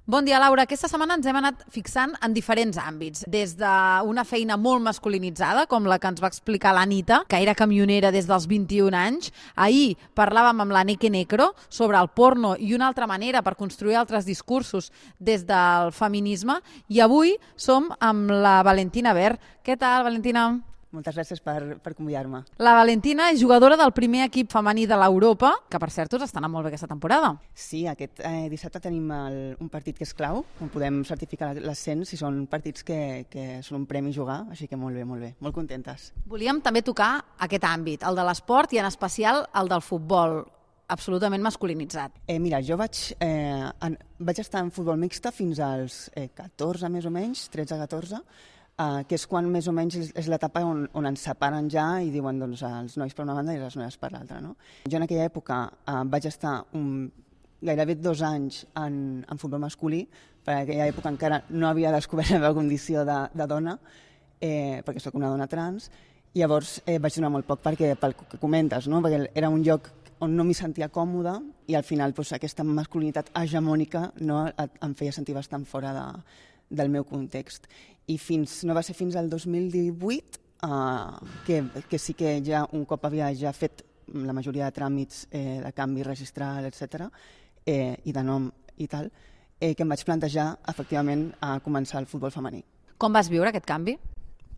Bon dia, Laura. Aquesta setmana ens hem anat fixant en diferents àmbits, des d'una feina molt masculinitzada, com la que ens va explicar l'Anita, que era camionera des dels 21 anys. Ahir parlàvem amb la Neke Necro sobre el porno i una altra manera per construir altres discursos des del feminisme, i avui som amb la Valentina Ver. Què tal, Valentina? Moltes gràcies per convidar-me. La Valentina és jugadora del primer equip femení de l'Europa, que per cert us està anant molt bé aquesta temporada. Sí, aquest dissabte tenim un partit que és clau, on podem certificar l'ascens, i són partits que són un premi jugar, així que molt bé, molt contentes. Volíem també tocar aquest àmbit, el de l'esport i en especial el del futbol, absolutament masculinitzat. Mira, jo vaig estar en futbol mixta fins als 14, més o menys, 13-14, que és quan més o menys és l'etapa on ens separen ja i diuen doncs, els nois per una banda i les noies per l'altra. No? Jo en aquella època vaig estar gairebé 2 anys en futbol masculí, perquè en aquella època encara no havia descobert la meva condició de dona, perquè sóc una dona trans, i llavors vaig donar molt poc pel que comentes, no? Perquè era un lloc on no m'hi sentia còmoda i al final doncs, aquesta masculinitat hegemònica no, em feia sentir bastant fora del meu context. I no va ser fins al 2018 que sí que ja un cop havia ja fet la majoria de tràmits de canvi registral, etc., i de nom i tal, que em vaig plantejar efectivament a començar el futbol femení. Com vas viure aquest canvi?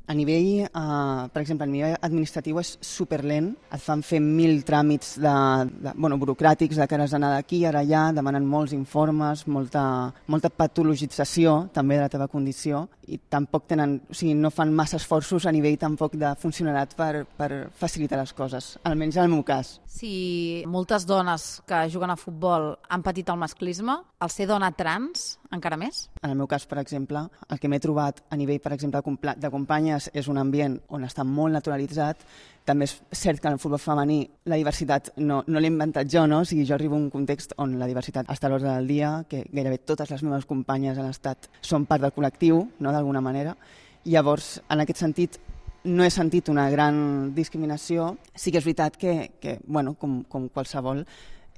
A nivell, per exemple, a nivell administratiu és superlent, et fan fer 1000 tràmits burocràtics de que has d'anar d'aquí, ara allà, demanen molts informes, molta patologització també de la teva condició, i tampoc no fan massa esforços a nivell tampoc de funcionariat per facilitar les coses, almenys en el meu cas. Si moltes dones que juguen a futbol han patit el masclisme, el ser dona trans encara més? En el meu cas, per exemple, el que m'he trobat a nivell, per exemple, de companyes és un ambient on està molt naturalitzat. També és cert que en el futbol femení la diversitat no l'he inventat jo, no? O sigui, jo arribo a un context on la diversitat està a l'ordre del dia, que gairebé totes les meves companyes han estat, són part del col·lectiu, no? D'alguna manera. I llavors, en aquest sentit, no he sentit una gran discriminació. Sí que és veritat que com qualsevol,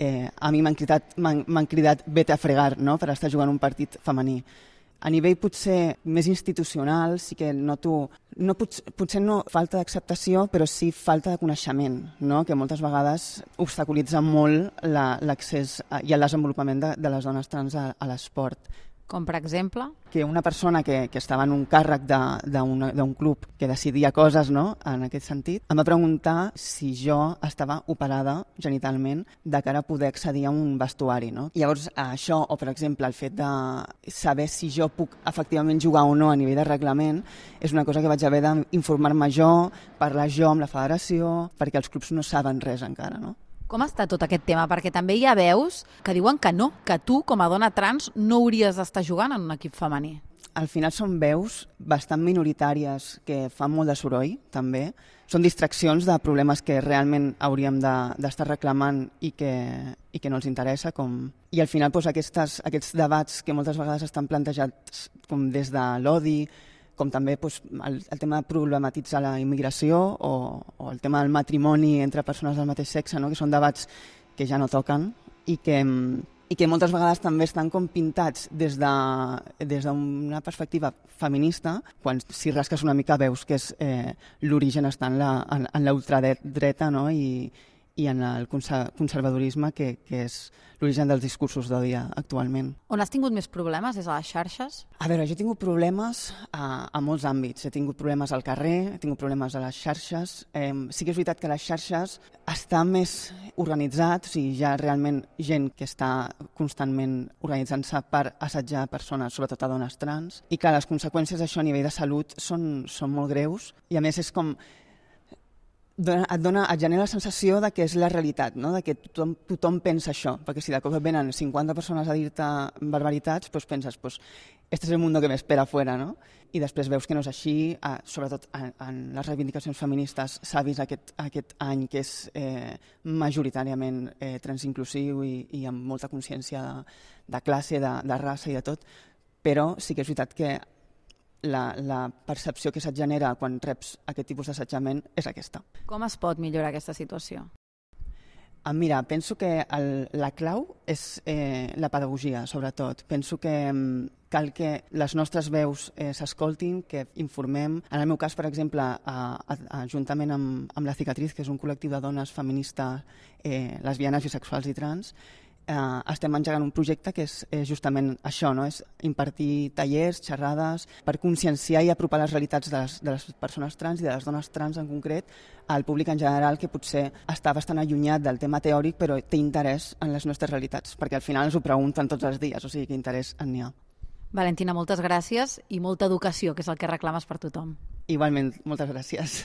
a mi m'han cridat vete a fregar, no? Per estar jugant un partit femení. A nivell potser més institucional sí que noto, potser no falta d'acceptació, però sí falta de coneixement, no? Que moltes vegades obstaculitza molt l'accés i el desenvolupament de les dones trans a l'esport. Com per exemple? Que una persona que estava en un càrrec d'un club que decidia coses, no? En aquest sentit, em va preguntar si jo estava operada genitalment de cara a poder accedir a un vestuari. No? I llavors això, o per exemple el fet de saber si jo puc efectivament jugar o no a nivell de reglament, és una cosa que vaig haver d'informar-me jo, parlar jo amb la federació, perquè els clubs no saben res encara, no? Com està tot aquest tema? Perquè també hi ha veus que diuen que no, que tu, com a dona trans, no hauries d'estar jugant en un equip femení. Al final són veus bastant minoritàries que fan molt de soroll, també. Són distraccions de problemes que realment hauríem d'estar reclamant i que no els interessa. I al final doncs, aquests debats que moltes vegades estan plantejats com des de l'odi, com també el tema de problematitzar la immigració o el tema del matrimoni entre persones del mateix sexe, no? Que són debats que ja no toquen i que moltes vegades també estan com pintats des d'una perspectiva feminista, quan si rasques una mica veus que l'origen està en la ultradreta, no? I en el conservadorisme, que és l'origen dels discursos d'odi actualment. On has tingut més problemes és a les xarxes? A veure, jo he tingut problemes a molts àmbits. He tingut problemes al carrer, he tingut problemes a les xarxes. Sí que és veritat que les xarxes està més organitzat, o sigui, hi ha realment gent que està constantment organitzant-se per assetjar persones, sobretot a dones trans, i clar, les conseqüències d'això a nivell de salut són molt greus, i a més és com et genera la sensació de que és la realitat, no? De que tothom pensa això, perquè si de cop venen 50 persones a dir-te barbaritats, doncs penses, este és el mundo que m'espera afuera, no? I després veus que no és així, sobretot en les reivindicacions feministes s'ha vist aquest any que és majoritàriament transinclusiu i amb molta consciència de classe, de raça i de tot, però sí que és veritat que la percepció que se't genera quan reps aquest tipus d'assetjament és aquesta. Com es pot millorar aquesta situació? Mira, penso que la clau és la pedagogia, sobretot. Penso que cal que les nostres veus s'escoltin, que informem. En el meu cas, per exemple, juntament amb La Cicatriz, que és un col·lectiu de dones feministes, lesbianes, bisexuals i trans, estem engegant un projecte que és justament això, no? És impartir tallers, xerrades, per conscienciar i apropar les realitats de les persones trans i de les dones trans en concret al públic en general, que potser està bastant allunyat del tema teòric però té interès en les nostres realitats, perquè al final ens ho pregunten tots els dies, o sigui que interès en n'hi ha. Valentina, moltes gràcies i molta educació, que és el que reclames per tothom. Igualment, moltes gràcies.